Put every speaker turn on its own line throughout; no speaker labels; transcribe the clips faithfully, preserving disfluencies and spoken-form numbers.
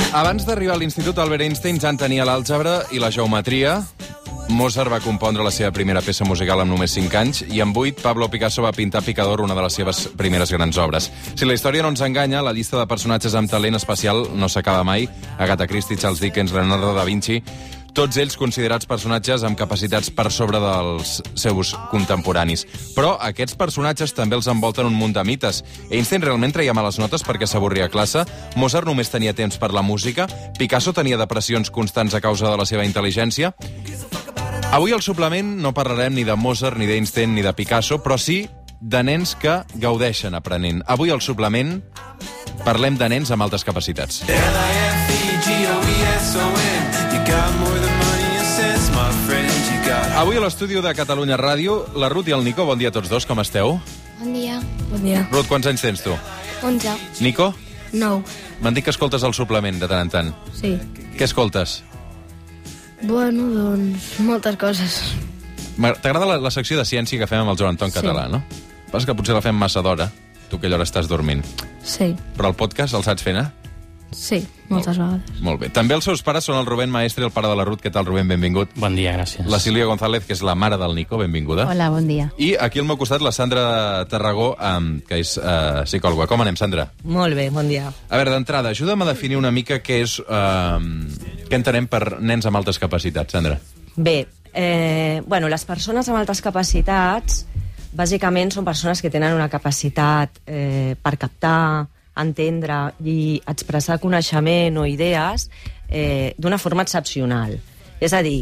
Abans d'arribar a l'Institut, Albert Einstein ja en tenia l'àlgebra i la geometria. Mozart va compondre la seva primera peça musical amb només cinc anys i amb vuit Pablo Picasso va pintar Picador, una de les seves primeres grans obres. Si la història no ens enganya, la llista de personatges amb talent especial no s'acaba mai. Agatha Christie, Charles Dickens, Leonardo da Vinci, tots ells considerats personatges amb capacitats per sobre dels seus contemporanis. Però aquests personatges també els envolten un munt de mites. Einstein realment treia males notes perquè s'avorria a classe, Mozart només tenia temps per la música, Picasso tenia depressions constants a causa de la seva intel·ligència. Avui al suplement no parlarem ni de Mozart, ni d'Einstein, ni de Picasso, però sí de nens que gaudeixen aprenent. Avui al suplement parlem de nens amb altes capacitats. Avui a l'estudi de Catalunya Ràdio, la Ruth i el Nico. Bon dia a tots dos, com esteu?
Bon dia.
Bon dia.
Ruth, quants anys tens tu?
onze.
Nico?
Nou.
M'han dit que escoltes el suplement de tant en tant.
Sí.
Què escoltes?
Bueno, doncs, moltes coses.
T'agrada la, la secció de ciència que fem amb el Joan Anton
Sí.
Català, no? Passa que potser la fem massa d'hora, tu que allò estàs dormint.
Sí.
Però el podcast el saps fer, eh?
Sí, moltes vegades.
Molt bé. També els seus pares són el Rubén Maestre i el pare de la Ruth. Què tal, Rubén? Benvingut.
Bon dia, gràcies.
La Sílvia González, que és la mare del Nico. Benvinguda.
Hola, bon dia.
I aquí al meu costat la Sandra Tarragó, um, que és uh, psicòloga. Com anem, Sandra?
Molt bé, bon dia.
A veure, d'entrada, ajuda'm a definir una mica què és... Uh, què entenem per nens amb altes capacitats, Sandra?
Bé, eh, bueno, les persones amb altes capacitats bàsicament són persones que tenen una capacitat eh, per captar, entendre i expressar coneixement o idees eh, d'una forma excepcional. És a dir,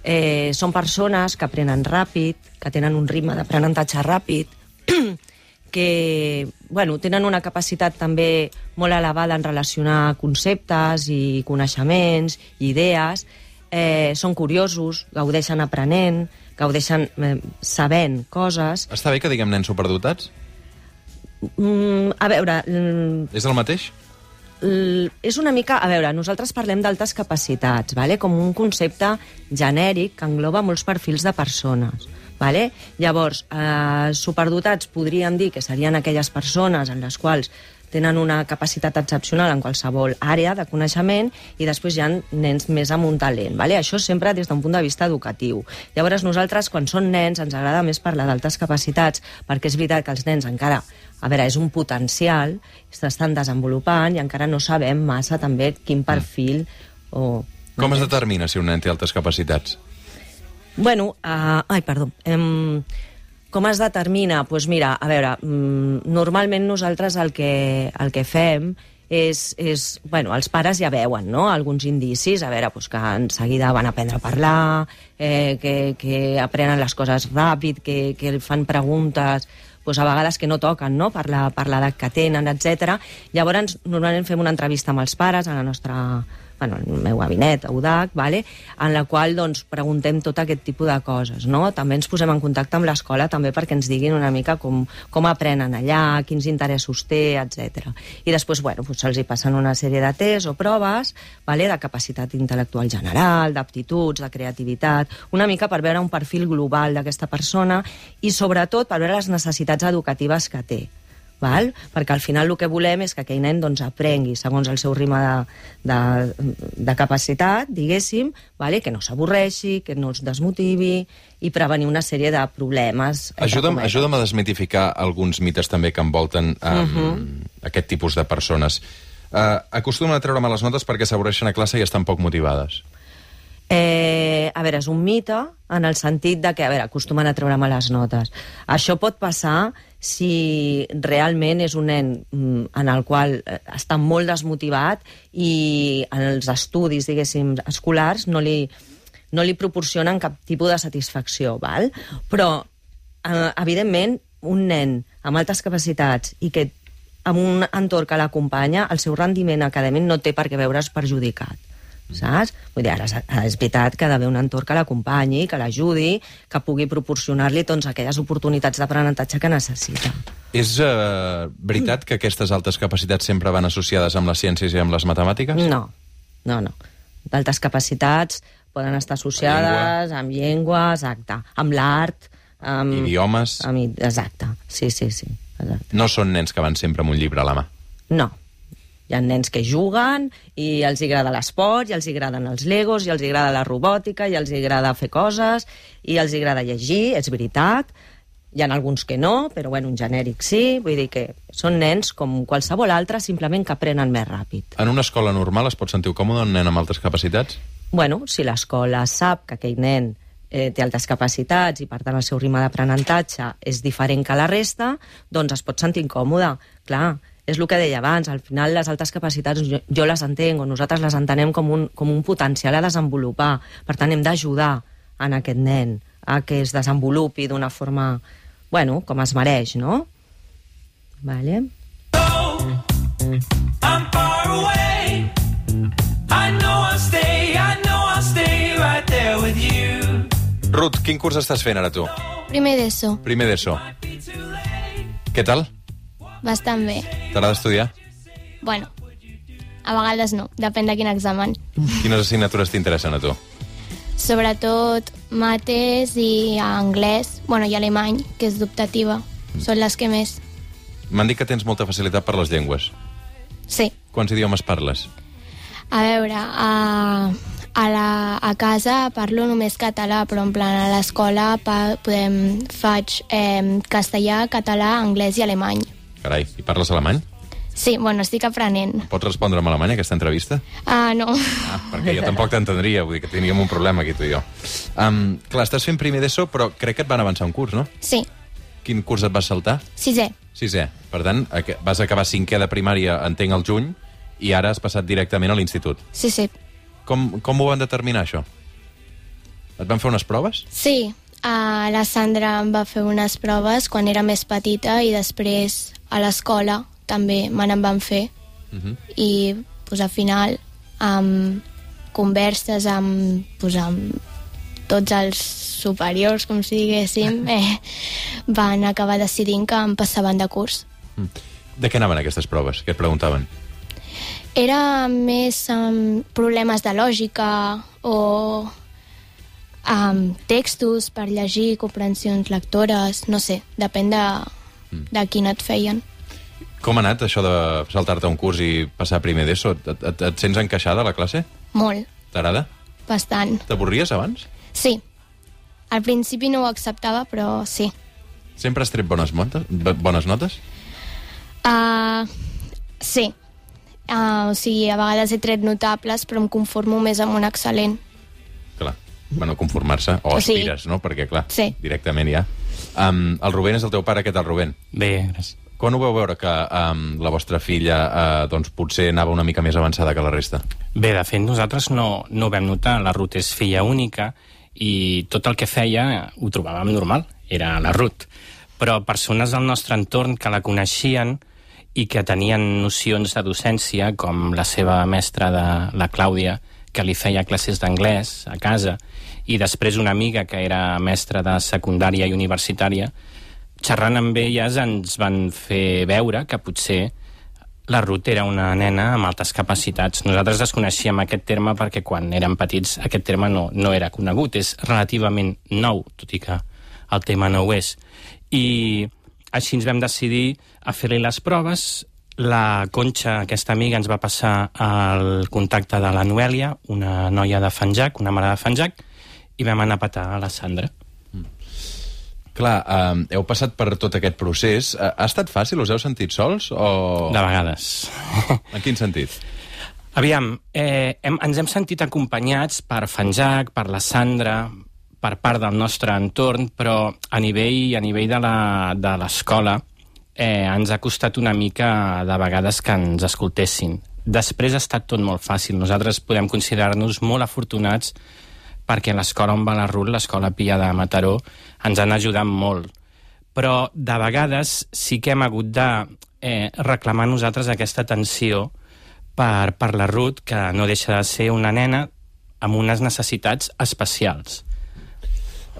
eh, són persones que aprenen ràpid, que tenen un ritme d'aprenentatge ràpid, que bueno, tenen una capacitat també molt elevada en relacionar conceptes i coneixements i idees, eh, són curiosos, gaudeixen aprenent, gaudeixen eh, sabent coses.
Està bé que diguem nens superdotats?
Mm, a veure... Mm,
És el mateix?
l- és una mica... A veure, nosaltres parlem d'altes capacitats, vale? Com un concepte genèric que engloba molts perfils de persones. Vale? Llavors, eh, superdotats podríem dir que serien aquelles persones en les quals tenen una capacitat excepcional en qualsevol àrea de coneixement i després hi ha nens més amb un talent. Vale? Això sempre des d'un punt de vista educatiu. Llavors nosaltres, quan són nens, ens agrada més parlar d'altes capacitats perquè és veritat que els nens encara, a veure, és un potencial, s'estan desenvolupant i encara no sabem massa també quin perfil o...
Com es determina si un nen té altes capacitats?
Bueno, uh, ai, perdó. Um, com es determina? Doncs pues mira, a veure, um, normalment nosaltres el que, el que fem és, és... Bueno, els pares ja veuen, no?, alguns indicis, a veure, pues, que en seguida van aprendre a parlar, eh, que, que aprenen les coses ràpid, que, que fan preguntes... Pues a vegades que no toquen, no?, per la, per l'edat que tenen, etcètera. Llavors, normalment fem una entrevista amb els pares a la nostra... bueno, el meu gabinet, a U D A C, vale? En la qual doncs, preguntem tot aquest tipus de coses. No? També ens posem en contacte amb l'escola també perquè ens diguin una mica com, com aprenen allà, quins interessos té, etcètera. I després bueno, doncs, se'ls hi passen una sèrie de tests o proves, vale? De capacitat intel·lectual general, d'aptituds, de creativitat, una mica per veure un perfil global d'aquesta persona i sobretot per veure les necessitats educatives que té. Val? Perquè al final el que volem és que aquell nen doncs, aprengui segons el seu ritme de, de, de capacitat, diguéssim, vale? Que no s'avorreixi, que no es desmotivi i prevenir una sèrie de problemes.
Ajuda'm, ajuda'm a desmitificar alguns mites també que envolten um, uh -huh. aquest tipus de persones. Uh, acostumen a treure males notes perquè s'avorreixen a classe i estan poc motivades.
Eh, a veure, és un mite en el sentit de que, a veure, acostumen a treure males notes. Això pot passar si realment és un nen en el qual està molt desmotivat i en els estudis, diguéssim, escolars no li, no li proporcionen cap tipus de satisfacció, val? Però, eh, evidentment, un nen amb altes capacitats i que amb un entorn que l'acompanya, el seu rendiment acadèmic no té per què veure's perjudicat. Saps? Vull dir, ara és veritat que ha d'haver un entorn que l'acompanyi, que l'ajudi, que pugui proporcionar-li doncs, aquelles oportunitats d'aprenentatge que necessita.
És uh, veritat que aquestes altes capacitats sempre van associades amb les ciències i amb les matemàtiques?
No, no, no. D'altes capacitats poden estar associades amb llengua, exacte, amb l'art, amb...
idiomes...
Amb, exacte, sí, sí, sí. Exacte.
No són nens que van sempre amb un llibre a la mà?
No, Hi ha nens que juguen i els agrada l'esport, i els agraden els legos, i els agrada la robòtica, i els agrada fer coses, i els agrada llegir, és veritat. Hi ha alguns que no, però bueno, un genèric sí. Vull dir que són nens com qualsevol altre, simplement que aprenen més ràpid.
En una escola normal es pot sentir còmode un nen amb altres capacitats?
Bueno, si l'escola sap que aquell nen eh, té altes capacitats i, per tant, el seu ritme d'aprenentatge és diferent que la resta, doncs es pot sentir incòmode. Clar, és el que deia abans, al final les altes capacitats jo, jo les entenc, o nosaltres les entenem com un, com un potencial a desenvolupar. Per tant, hem d'ajudar en aquest nen a que es desenvolupi d'una forma, bueno, com es mereix, no? Vale. I'm far away. I know I'll stay, I know I'll stay right there with you.
Ruth, quin curs estàs fent ara tu?
Primer d'ESO.
Primer d'ESO. Què tal?
Bastant bé.
T'agrada estudiar?
Bueno, a vegades no, depèn de quin examen.
Quines assignatures t'interessen a tu?
Sobretot mates i anglès, bueno, i alemany, que és d'optativa. Són les que més.
M'han dit que tens molta facilitat per les llengües.
Sí.
Quants idiomes parles?
A veure, a, a, la, a casa parlo només català, però en plan a l'escola pa, podem, faig eh, castellà, català, anglès i alemany.
Carai, i parles alemany?
Sí, bueno, estic aprenent.
Pots respondre en alemany, aquesta entrevista?
Ah, no.
Ah, perquè jo tampoc t'entendria, vull dir que teníem un problema aquí, tu i jo. Um, clar, estàs fent primer d'ESO, però crec que et van avançar un curs, no?
Sí.
Quin curs et vas saltar?
Sisè.
Sisè. Per tant, vas acabar cinquè de primària, entenc, al juny, i ara has passat directament a l'institut.
Sí, sí.
Com, com ho van determinar, això? Et van fer unes proves?
Sí. Uh, la Sandra em va fer unes proves quan era més petita i després a l'escola també me n'en van fer. Uh -huh. I pues, al final, amb converses amb, pues, amb tots els superiors, com si diguéssim, eh, van acabar decidint que em passaven de curs.
De què anaven aquestes proves? Què et preguntaven?
Era més um, problemes de lògica o um, textos per llegir, comprensions lectores, no sé, depèn de, de quin et feien.
Com ha anat això de saltar-te un curs i passar primer d'ESO? Et, et, et sents encaixada a la classe?
Molt.
T'agrada?
Bastant.
T'avorries abans?
Sí. Al principi no ho acceptava, però sí.
Sempre has tret bones, montes, bones notes?
Uh, sí. Uh, o sigui, a vegades he tret notables, però em conformo més amb un excel·lent.
Clar. Bueno, conformar-se. O, o sigui, aspires, no? Perquè, clar,
sí.
Directament ja. Um, el Rubén és el teu pare. Què tal, Rubén?
Bé, gràcies.
Quan ho veu veure que um, la vostra filla uh, doncs, potser anava una mica més avançada que la resta?
Bé, de fet, nosaltres no, no ho vam notar. La Ruth és filla única i tot el que feia ho trobàvem normal. Era la Ruth. Però persones del nostre entorn que la coneixien i que tenien nocions de docència, com la seva mestra, de la Clàudia, que li feia classes d'anglès a casa, i després una amiga que era mestra de secundària i universitària, xerrant amb elles ens van fer veure que potser la Ruth era una nena amb altes capacitats. Nosaltres desconeixíem aquest terme perquè quan érem petits aquest terme no, no era conegut. És relativament nou, tot i que el tema no ho és. I així ens vam decidir a fer-li les proves. La Conxa, aquesta amiga, ens va passar el contacte de la Noèlia, una noia de Fanjac, una mare de Fanjac, i vam anar a petar a la Sandra.
Mm. Clar, eh, heu passat per tot aquest procés. Ha estat fàcil? Us heu sentit sols? O...
De vegades.
En quin sentit?
Aviam, eh, hem, ens hem sentit acompanyats per Fanjac, per la Sandra, per part del nostre entorn, però a nivell, a nivell de l'escola eh, ens ha costat una mica de vegades que ens escoltessin. Després ha estat tot molt fàcil. Nosaltres podem considerar-nos molt afortunats perquè l'escola on va la Ruth, l'escola Pia de Mataró, ens han ajudat molt. Però de vegades sí que hem hagut de eh, reclamar nosaltres aquesta atenció per, per la Ruth, que no deixa de ser una nena amb unes necessitats especials.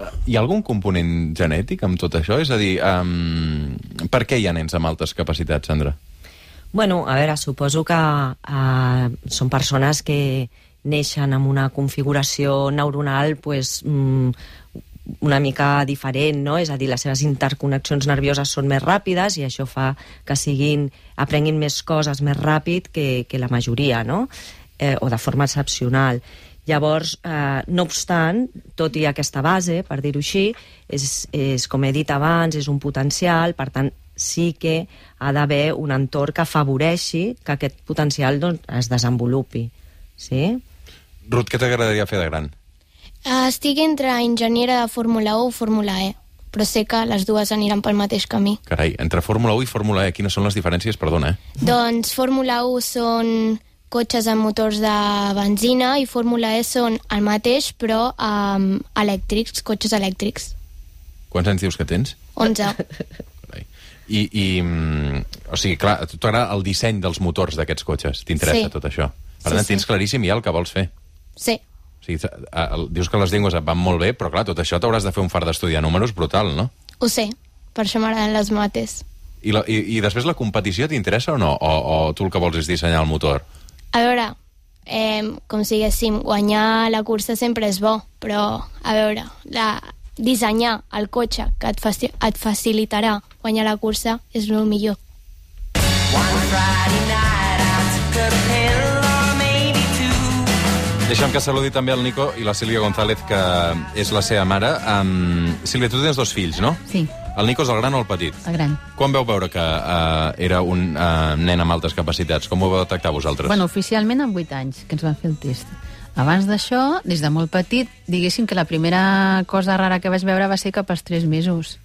Hi ha algun component genètic amb tot això? És a dir, um, per què hi ha nens amb altes capacitats, Sandra?
Bueno, a veure, suposo que uh, són persones que neixen amb una configuració neuronal pues, mm, una mica diferent, no? És a dir, les seves interconnexions nervioses són més ràpides i això fa que siguin, aprenguin més coses més ràpid que, que la majoria, no? Eh, o de forma excepcional. Llavors, eh, no obstant, tot i aquesta base, per dir-ho així, és, és, com he dit abans, és un potencial, per tant, sí que ha d'haver un entorn que afavoreixi que aquest potencial doncs, es desenvolupi. Sí?
Ruth, què t'agradaria fer de gran?
Estic entre enginyera de Fórmula u o Fórmula E, però sé que les dues aniran pel mateix camí.
Carai, entre Fórmula u i Fórmula E, quines són les diferències? Perdona, eh?
Doncs Fórmula u són cotxes amb motors de benzina i Fórmula E són el mateix, però um, elèctrics, cotxes elèctrics.
Quants anys dius que tens?
onze.
Carai. I, i o sigui, clar, a tu t'agrada el disseny dels motors d'aquests cotxes? T'interessa
sí.
tot això? Per
sí,
tant,
sí.
tens claríssim ja el que vols fer.
Sí.
O sigui, dius que les llengües et van molt bé, però clar, tot això t'hauràs de fer un far d'estudiar números brutal, no?
Ho sé, per això m'agraden les mates.
I, la, i, I després la competició t'interessa o no? O, o tu el que vols és dissenyar el motor?
A veure, eh, com si diguéssim, guanyar la cursa sempre és bo, però, a veure, la, dissenyar el cotxe que et, faci, et facilitarà guanyar la cursa és el millor. One Friday night I took a pill.
Deixa'm que saludi també el Nico i la Sílvia González, que és la seva mare. Um, Sílvia, tu tens dos fills, no?
Sí.
El Nico és el gran o el petit?
El gran.
Quan veu veure que uh, era un uh, nen amb altes capacitats? Com ho vau detectar vosaltres?
Bueno, oficialment amb vuit anys, que ens van fer el test. Abans d'això, des de molt petit, diguéssim que la primera cosa rara que vaig veure va ser cap als tres mesos.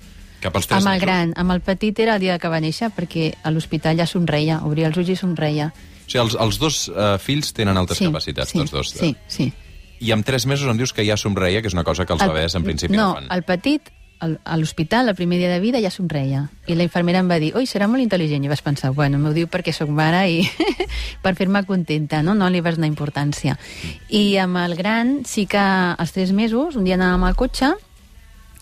Cap als tres
amb el
mesos?
gran. Amb el petit era el dia que va néixer, perquè a l'hospital ja somreia, obria els ulls i somreia.
O sigui, els, els dos uh, fills tenen altes
sí,
capacitats,
sí,
tots dos.
Sí, sí.
I amb tres mesos em dius que ja somreia, que és una cosa que els
el,
bebès en principi
no,
no fan.
No, el petit, el, a l'hospital, el primer dia de vida, ja somreia. I la infermera em va dir, oi, serà molt intel·ligent. I vaig pensar, bueno, m'ho diu perquè sóc mare i per fer-me contenta, no? No li vas donar importància. I amb el gran, sí que als tres mesos, un dia anàvem al cotxe,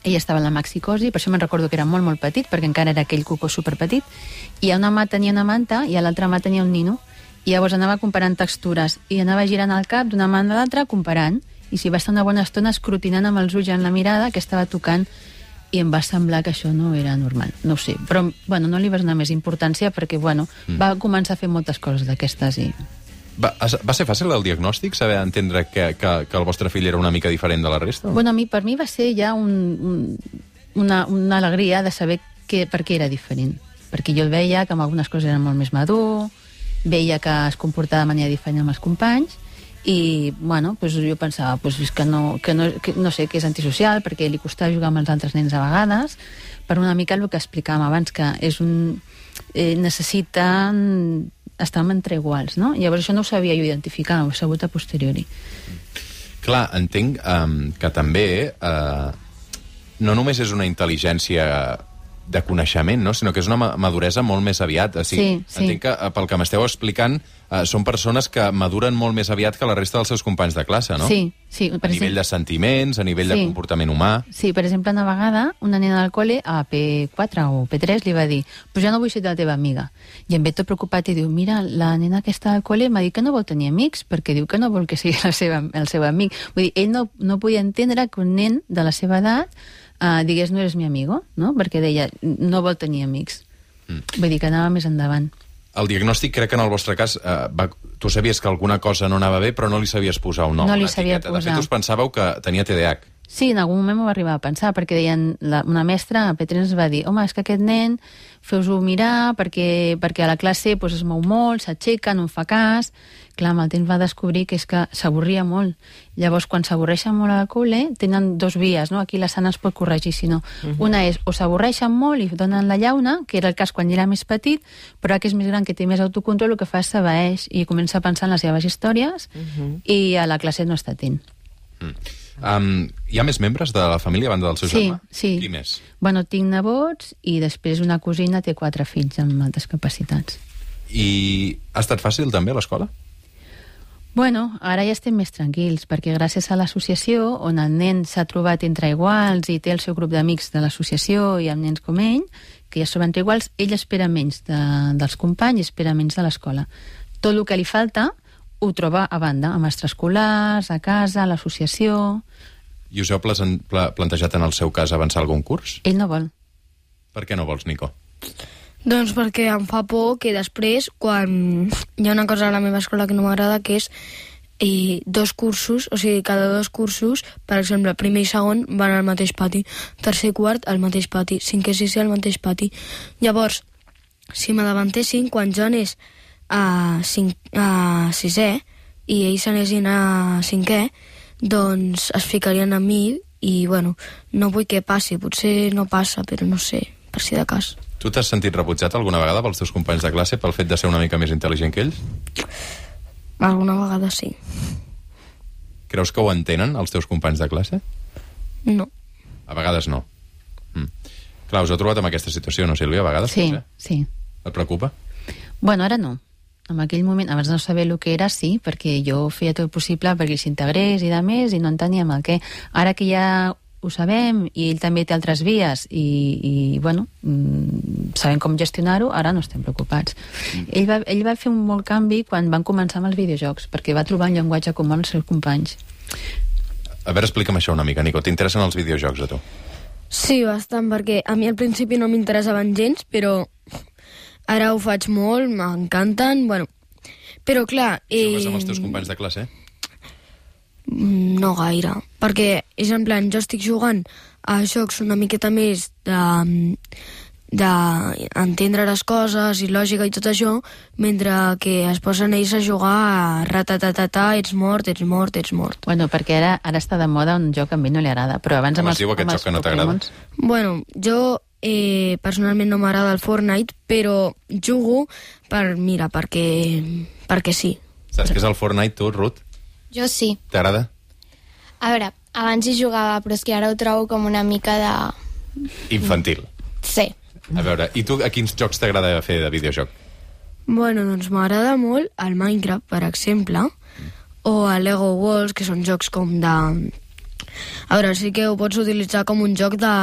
ell estava en la maxicosi, per això me'n recordo que era molt, molt petit, perquè encara era aquell cucó superpetit, i a una mà tenia una manta i a l'altra mà tenia un nino. I llavors anava comparant textures i anava girant el cap d'una mà a l'altra comparant, i si va estar una bona estona escrutinant amb els ulls en la mirada que estava tocant, i em va semblar que això no era normal, no ho sé, però bueno, no li vas donar més importància perquè bueno, mm. va començar a fer moltes coses d'aquestes i...
Va, va ser fàcil el diagnòstic, saber entendre que, que, que el vostre fill era una mica diferent de la resta?
Bueno, a mi, per mi va ser ja un, un, una, una alegria de saber que, per què era diferent, perquè jo el veia que amb algunes coses era molt més madur, veia que es comportava de manera diferent amb els companys i, bueno, pues jo pensava pues, que, no, que, no, que no sé, que és antisocial perquè li costava jugar amb els altres nens a vegades, per una mica el que explicàvem abans, que és un, eh, necessita estar entre iguals, no? Llavors això no ho sabia jo identificar, ho he sabut a posteriori.
Clar, entenc um, que també uh, no només és una intel·ligència de coneixement, no? Sinó que és una maduresa molt més aviat. O sigui,
sí, sí.
Entenc que, pel que m'esteu explicant, eh, són persones que maduren molt més aviat que la resta dels seus companys de classe, no?
Sí, sí.
Per a nivell de sentiments, a nivell sí. de comportament humà...
Sí, per exemple, una vegada, una nena del col·le, a P quatre o P tres, li va dir «Però ja no vull ser la teva amiga». I em ve tot preocupat i diu «Mira, la nena que està al col·le m'ha dit que no vol tenir amics, perquè diu que no vol que sigui la seva, el seu amic». Vull dir, ell no, no podia entendre que un nen de la seva edat Uh, digués, no eres mi amigo, no? Perquè deia, no vol tenir amics. Mm. Vull dir que anava més endavant.
El diagnòstic, crec que en el vostre cas, uh, va, tu sabies que alguna cosa no anava bé, però no li sabies posar un nom,
no li
una
sabia
etiqueta.
posar.
De fet, us pensàveu que tenia T D A H.
Sí, en algun moment m'ho va arribar a pensar, perquè deien, la, una mestra a P tres ens va dir, home, és que aquest nen, feu-ho mirar, perquè, perquè a la classe pues, es mou molt, s'aixeca, no en fa cas. Clar, amb el temps va descobrir que és que s'avorria molt. Llavors, quan s'avorreixen molt al col·le, tenen dos vies, no? Aquí la Sana es pot corregir, si no. Uh-huh. Una és, o s'avorreixen molt i donen la llauna, que era el cas quan era més petit, però que és més gran, que té més autocontrol, el que fa és s'abaeix i comença a pensar en les seves històries uh-huh. i a la classe no està atent.
Mm. Um, hi ha més membres de la família a banda del seu
sí,
germà?
Sí,
Qui més?
Bueno, tinc nebots i després una cosina té quatre fills amb altres capacitats.
I ha estat fàcil també a l'escola?
Bueno, ara ja estem més tranquils, perquè gràcies a l'associació, on el nen s'ha trobat entre iguals i té el seu grup d'amics de l'associació i amb nens com ell, que ja són entre iguals, ell espera menys de, dels companys i espera menys de l'escola. Tot el que li falta ho troba a banda, amb extraescolars, a casa, a l'associació...
I us heu plantejat en el seu cas avançar algun curs?
Ell no vol.
Per què no vols, Nico?
Doncs perquè em fa por que després, quan hi ha una cosa a la meva escola que no m'agrada, que és eh, dos cursos, o sigui, cada dos cursos, per exemple, primer i segon van al mateix pati, tercer i quart al mateix pati, cinquè i sisè al mateix pati. Llavors, si m'adavantessin, quan jo anés a, cinc, a sisè i ells anessin a cinquè, doncs es ficarien a mi i, bueno, no vull que passi. Potser no passa, però no sé, per si de cas.
Tu t'has sentit rebutjat alguna vegada pels teus companys de classe pel fet de ser una mica més intel·ligent que ells?
Alguna vegada sí.
Creus que ho entenen, els teus companys de classe?
No.
A vegades no. Mm. Clar, us heu trobat amb aquesta situació, no, Sílvia, a vegades?
Sí,
potser?
sí.
Et preocupa?
Bueno, ara no. En aquell moment, abans no saber el que era, sí, perquè jo feia tot el possible perquè s'integrés i de més, i no enteníem el què. Ara que ja ho sabem, i ell també té altres vies, i, i bueno, mmm, sabem com gestionar-ho, ara no estem preocupats. Mm. Ell, va, ell va fer un molt canvi quan van començar amb els videojocs, perquè va trobar un llenguatge comú amb els seus companys.
A veure, explica'm això una mica, Nico. T'interessen els videojocs, a tu?
Sí, bastant, perquè a mi al principi no m'interessaven gens, però ara ho faig molt, m'encanten, bueno, però clar... Eh...
Jugues amb els teus companys de classe?
No gaire, perquè és en plan, jo estic jugant a jocs una miqueta més de d'entendre les coses i lògica i tot això, mentre que es posen ells a jugar a ratatatata, ets mort, ets mort, ets mort.
Bueno, perquè ara, ara està de moda un joc que a mi no li agrada, però abans
Com
amb
es diu aquest joc que no t'agrada?
Bueno, jo eh, personalment no m'agrada el Fortnite, però jugo per, mira, perquè, perquè sí.
Saps què és el Fortnite, tu, Ruth?
Jo sí.
T'agrada?
A veure, abans hi jugava, però és que ara ho trobo com una mica de...
Infantil.
Sí.
A veure, i tu a quins jocs t'agrada fer de videojoc?
Bueno, doncs m'agrada molt el Minecraft, per exemple, o el Lego Worlds, que són jocs com de... A veure, sí que ho pots utilitzar com un joc de...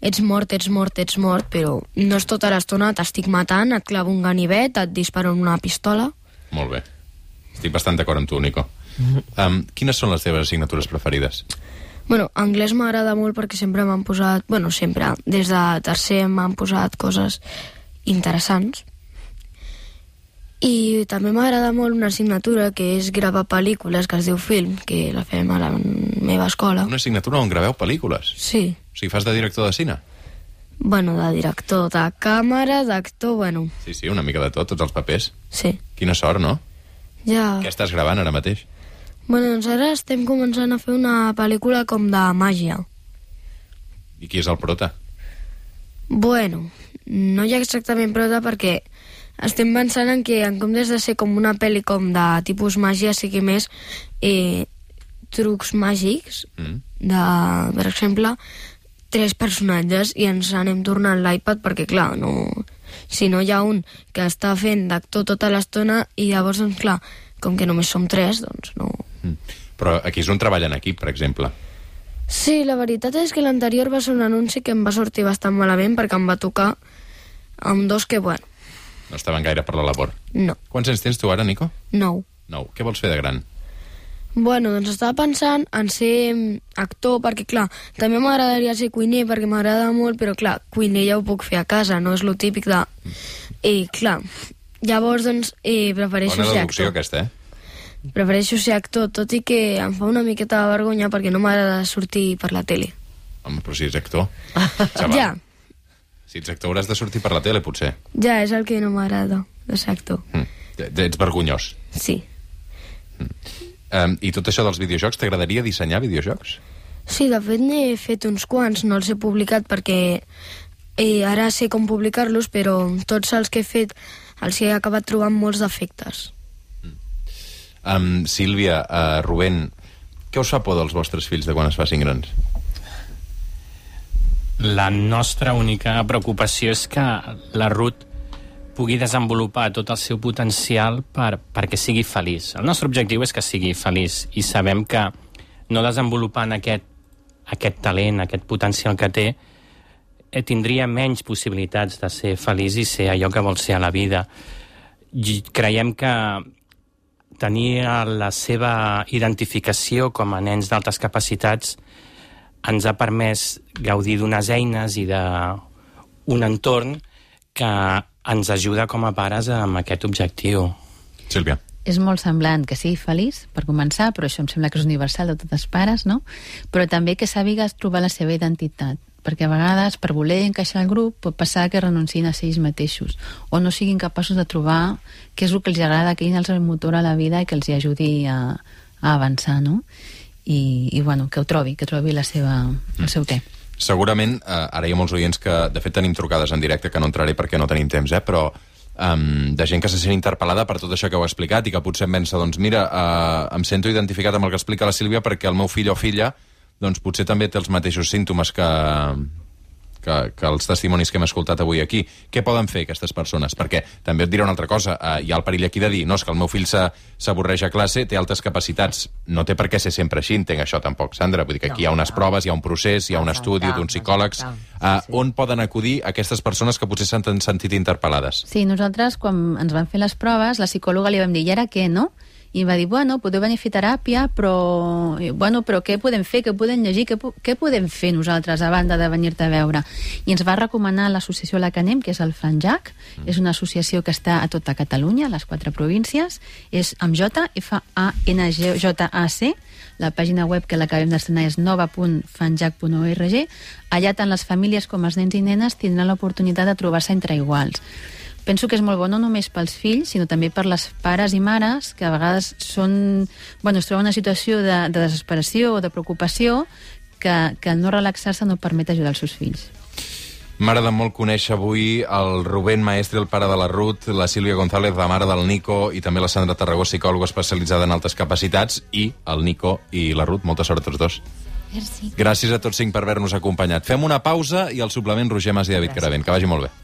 Ets mort, ets mort, ets mort, però no és tota l'estona, t'estic matant, et clavo un ganivet, et disparo una pistola...
Molt bé. Estic bastant d'acord amb tu, Nico. Um, quines són les teves assignatures preferides?
Bueno, anglès m'agrada molt perquè sempre m'han posat... Bueno, sempre, des de tercer m'han posat coses interessants. I també m'agrada molt una assignatura que és gravar pel·lícules, que es diu film, que la fem a la meva escola.
Una assignatura on graveu pel·lícules?
Sí.
O sigui, fas de director de cine?
Bueno, de director, de càmera, d'actor, bueno...
Sí, sí, una mica de tot, tots els papers.
Sí.
Quina sort, no?
Ja...
Què estàs gravant ara mateix?
Bueno, doncs ara estem començant a fer una pel·lícula com de màgia.
I qui és el prota?
Bueno, no hi ha exactament prota perquè estem pensant en que en comptes de ser com una pel·li com de tipus màgia sigui més eh, trucs màgics mm. de, per exemple, tres personatges i ens anem tornant l'iPad perquè, clar, no... si no hi ha un que està fent d'actor tota l'estona i llavors, doncs, clar, com que només som tres, doncs no...
Mm. Però aquí és un treball en equip, per exemple.
Sí, la veritat és que l'anterior va ser un anunci que em va sortir bastant malament perquè em va tocar amb dos que, bueno...
No estaven gaire per la labor.
No.
Quants anys tens tu ara, Nico?
Nou.
Nou. Què vols fer de gran?
Bueno, doncs estava pensant en ser actor, perquè, clar, també m'agradaria ser cuiner, perquè m'agrada molt, però, clar, cuiner ja ho puc fer a casa, no és lo típic de... Eh, clar, llavors, doncs, eh, prefereixo
Bona
ser
deducció,
actor.
aquesta, eh?
Prefereixo ser actor, tot i que em fa una miqueta de vergonya perquè no m'agrada sortir per la tele.
Home, però si ets actor. Xaval.
Ja,
Si ets actor hauràs de sortir per la tele, potser.
ja, és el que no m'agrada, de ser actor.
Mm. Ets vergonyós.
Sí.
Um, I tot això dels videojocs, t'agradaria dissenyar videojocs?
Sí, de fet n'he fet uns quants, no els he publicat perquè eh, ara sé com publicar-los, però tots els que he fet els he acabat trobant molts defectes.
Um, Sílvia, uh, Rubén, què us fa por dels vostres fills de quan es facin grans?
La nostra única preocupació és que la Ruth pugui desenvolupar tot el seu potencial per, perquè sigui feliç. El nostre objectiu és que sigui feliç i sabem que no desenvolupant aquest, aquest talent, aquest potencial que té, eh, tindria menys possibilitats de ser feliç i ser allò que vol ser a la vida. I creiem que tenir la seva identificació com a nens d'altes capacitats ens ha permès gaudir d'unes eines i d'un entorn que ens ajuda com a pares amb aquest objectiu.
Sílvia.
És molt semblant que sigui feliç, per començar, però això em sembla que és universal de tots els pares, no? Però també que sàpigues trobar la seva identitat, perquè a vegades, per voler encaixar al grup, pot passar que renunciïn a ser ells mateixos, o no siguin capaços de trobar què és el que els agrada, què és el motor a la vida i que els hi ajudi a, a avançar, no? I, i bueno, que ho trobi, que trobi la seva, el seu què.
Segurament, eh, ara hi ha molts oients que, de fet, tenim trucades en directe, que no entraré perquè no tenim temps, eh, però Um, de gent que se sent interpel·lada per tot això que heu explicat i que potser em pensa, doncs mira, uh, em sento identificat amb el que explica la Sílvia perquè el meu fill o filla doncs potser també té els mateixos símptomes que, que, que els testimonis que hem escoltat avui aquí. Què poden fer aquestes persones? Perquè també et diré una altra cosa, uh, hi ha el perill aquí de dir, no, és que el meu fill s'avorreix a classe, té altes capacitats, no té per què ser sempre així, entenc això tampoc, Sandra, vull dir que aquí hi ha unes proves, hi ha un procés, hi ha un estudi d'uns psicòlegs. Uh, on poden acudir aquestes persones que potser s'han sentit interpel·lades?
Sí, nosaltres, quan ens van fer les proves, la psicòloga li vam dir, i ara què, no? I va dir, bueno, podeu venir a fer teràpia, però, bueno, però què podem fer, què podem llegir, què, què podem fer nosaltres a banda de venir-te a veure? I ens va recomanar l'associació a la que anem, que és el FANJAC, mm. és una associació que està a tota Catalunya, a les quatre províncies, és amb J, F A N G J A C, la pàgina web que l'acabem d'estrenar és nova punt fanjac punt org. Allà tant les famílies com els nens i nenes tindran l'oportunitat de trobar-se entre iguals. Penso que és molt bo no només pels fills, sinó també per les pares i mares, que a vegades són, bueno, es troben en una situació de, de desesperació o de preocupació que, que no relaxar-se no permet ajudar els seus fills.
M'agrada molt conèixer avui el Rubén Maestre, el pare de la Ruth, la Sílvia González, la mare del Nico, i també la Sandra Tarragó, psicòloga especialitzada en altes capacitats, i el Nico i la Ruth. Molta sort a tots dos.
Merci.
Gràcies a tots cinc per haver-nos acompanyat. Fem una pausa i al suplement Roger Mas i David Caravent. Que vagi molt bé.